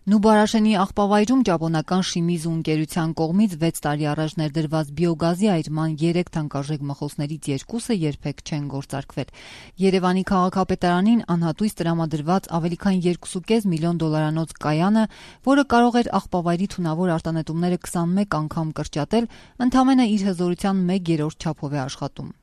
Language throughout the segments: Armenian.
Նուբարաշենի աղբավայրում ճապոնական Շիմիզու ընկերության կողմից 6 տարի առաջ ներդրված բիոգազի այրման 3 թանկարժեք մխոսներից 2-ը երբեք չեն գործարկվել։ Երևանի քաղաքապետարանին անհատույց տրամադրված ավելի քան 2.5 միլիոն դոլարանոց կայանը, որը կարող էր աղբավայրի թունավոր արտանետումները 21 անգամ կրճատել, ընդամենը իր հզորության 1/3 չափով է աշխատում։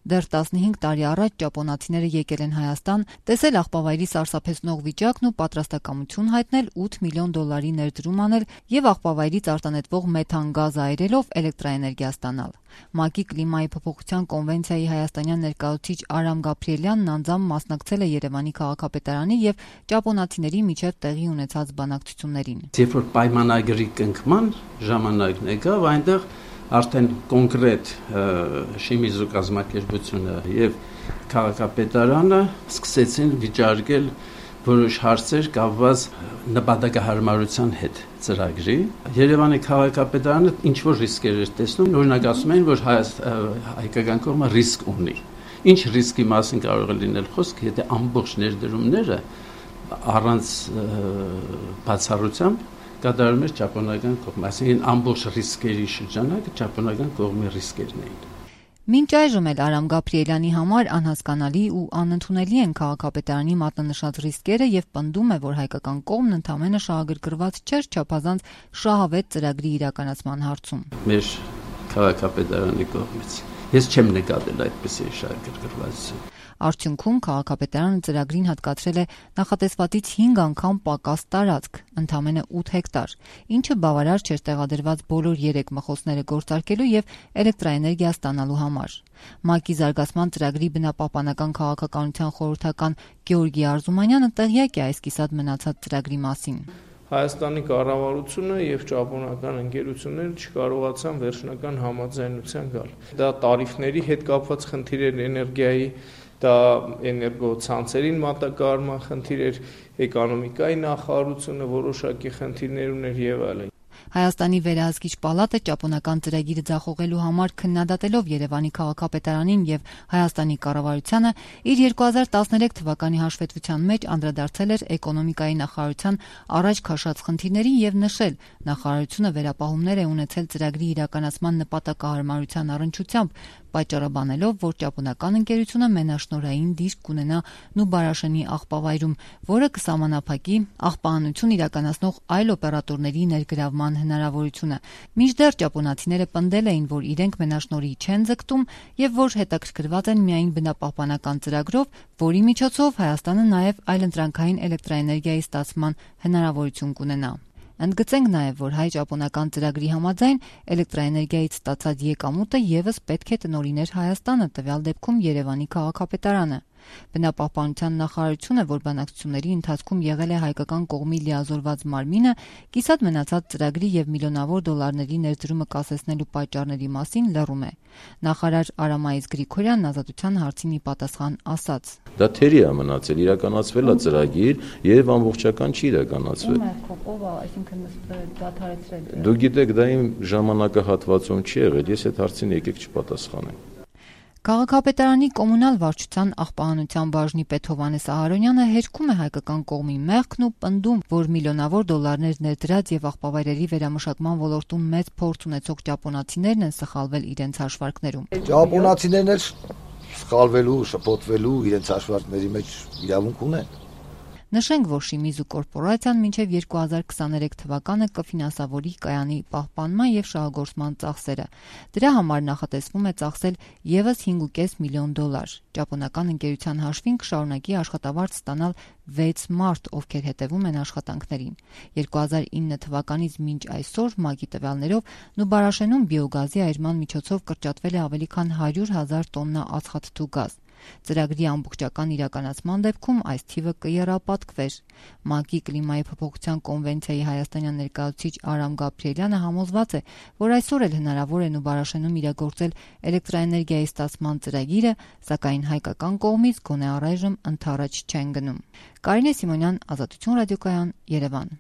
Դեռ 15 տարի առաջ ճապոնացիները եկել են Հայաստան, տեսել աղբավայրի սարսափեցնող վիճակն ու պատրաստակամություն հայտնել 8 միլիոն դոլարի ներդրում անել եւ աղբավայրից արտանետվող մեթան գազը այրելով էլեկտրաէներգիա ստանալ։ ՄԱԿ-ի կլիմայի փոփոխության կոնվենցիայի հայաստանյան ներկայացուցիչ Արամ Գաբրիելյանն անձամբ մասնակցել է Երևանի քաղաքապետարանի եւ ճապոնացիների միջև տեղի ունեցած բանակցություններին։ Երբ որ պայմանագրի կնքման ժամանակն եկավ, այնտեղ արդեն կոնկրետ Շիմիզու կազմակերպությունը եւ քաղաքապետարանը սկսեցին վիճարկել որոշ հարցեր կապված նպատակահարմարության հետ ծրագրի։ Երևանի քաղաքապետարանը ինչ որ ռիսկեր էր տեսնում, օրինակ ասում էին, որ հայկական կողմը ռիսկ ունի։ Ինչ ռիսկի մասին կարող է լինել խոսք, եթե ամբողջ ներդրումները առանց բացառությամբ կատարում էր ճապոնական կողմը, այսինքն ամբողջ ռիսկերի շրջանակը ճապոնական կողմի ռիսկերն էին։ Մինչ այժմ էլ Արամ Գաբրիելյանի համար անհասկանալի ու անընդունելի են քաղաքապետարանի մատնանշած ռիսկերը եւ պնդում է, որ հայկական կողմն ընդամենը շահագրգռված չէր չափազանց շահավետ ծրագրի իրականացման հարցում։ Մեր քաղաքապետարանի կողմից ես չեմ նկատել այդպիսի շահագրգռվածություն։ Արդյունքում քաղաքապետարանը ծրագրին հատկացրել է նախատեսվածից 5 անգամ պակաս տարածք, ընդամենը 8 հեկտար, ինչը բավարար չէր տեղադրված բոլոր 3 մխոսները գործարկելու եւ էլեկտրաէներգիա ստանալու համար։ ՄԱԿ-ի զարգացման ծրագրի բնապահպանական քաղաքականության խորհրդական Գեորգի Արզումանյանը տեղյակ է այս կիսատ մնացած ծրագրի մասին։ Հայաստանի կառավարությունը եւ ճապոնական ընկերությունները չկարողացան վերջնական համաձայնության գալ։ Դա տարիֆների հետ կապված խնդիր էր, էներգիայի, դա էներգոցանցերին մատակարարման խնդիր էր, էկոնոմիկայի նախարարությունը որոշակի խնդիրներ ուներ եւ այլն։ Հայաստանի վերահսկիչ պալատը ճապոնական ծրագիրը ձախողելու համար քննադատելով Երևանի քաղաքապետարանին եւ Հայաստանի կառավարությանը իր 2013 թվականի հաշվետվության մեջ անդրադարձել էր էկոնոմիկայի նախարարության առաջ քաշած խնդիրներին եւ նշել, նախարարությունը վերապահումներ է ունեցել ծրագրի իրականացման նպատակահարմարության առնչությամբ, պատճառաբանելով, որ ճապոնական ընկերությունը մենաշնորհային դիրք կունենա Նուբարաշենի աղբավայրում, որը կսահմանափակի աղբահանություն իրականացնող այլ օպերատորների ներգրավման հնարավորությունը։ Մինչդեռ ճապոնացիները պնդել էին, որ իրենք մենաշնորհի չեն ձգտում եւ որ հետաքրքրված են միայն բնապահպանական ծրագրով, որի միջոցով Հայաստանը նաեւ այլընտրանքային էլեկտրաէներգիայի ստացման հնարավորություն կունենա։ Ընդգծենք նաև, որ հայ-ճապոնական ծրագրի համաձայն էլեկտրաէներգիայից ստացած եկամուտը եւս պետք է տնօրիներ Հայաստանը, տվյալ դեպքում Երևանի քաղաքապետարանը։ Բնապահպանության նախարարությունը, որ բանակցությունների ընթացքում եղել է հայկական կողմի լիազորված մարմինը, կիսատ մնացած ծրագրի եւ միլիոնավոր դոլարների ներդրումը կասեցնելու պատճառների մասին լռում է։ Նախարար Արամայիս Գրիգորյանն Ազատության հարցին ի պատասխան ասաց. Դա թերի է մնացել, իրականացվել է ծրագիր եւ ամբողջական չի իրականացվել։ Դուք գիտեք, դա իմ ժամանակահատվածում չի եղել, ես այդ հարցին եկեք չպատասխանեմ։ Քաղաքապետարանի կոմունալ վարչության աղբահանության բաժնի պետ Հովհաննես Ահարոնյանը հերքում է հայկական կողմի մեղքն ու պնդում, որ միլիոնավոր դոլարներ ներդրած եւ աղբավայրերի վերամշակման ոլորտում մեծ փորձ ունեցող ճապոնացիներն են սխալվել իրենց հաշվարկներում։ Ճապոնացիներն էլ սխալվելու, շփոթվելու իրենց հաշվարկների մեջ իրավունք ունեն։ Նշենք, որ Շիմիզու կորպորացիան մինչև 2023 թվականը կֆինանսավորի կայանի պահպանման եւ շահագործման ծախսերը։ Դրա համար նախատեսվում է ծախսել եւս 5.5 միլիոն դոլար։ Ճապոնական ընկերության հաշվին կշարունակի աշխատավարձ ստանալ 6 մարդ, ովքեր հետևում են աշխատանքներին։ 2009 թվականից մինչ այսօր ՄԱԿ-ի տվյալներով Նուբարաշենում բիոգազի այրման միջոցով կրճատվել է ավելի քան 100,000 տոննա ածխաթթու գազ։ Ծրագրի ամբողջական իրականացման դեպքում այս թիվը կեռապատկվեր։ ՄԱԿ-ի կլիմայի փոփոխության կոնվենցիայի հայաստանյան ներկայացուցիչ Արամ Գաբրիելյանը համոզված է, որ այսօր էլ հնարավոր է Նուբարաշենում իրագործել էլեկտրաէներգիայի ստացման ծրագիրը, սակայն հայկական կողմից գոնե առայժմ ընդառաջ չեն գնում։ Կարինե Սիմոնյան, Ազատություն ռադիոկայան, Երևան։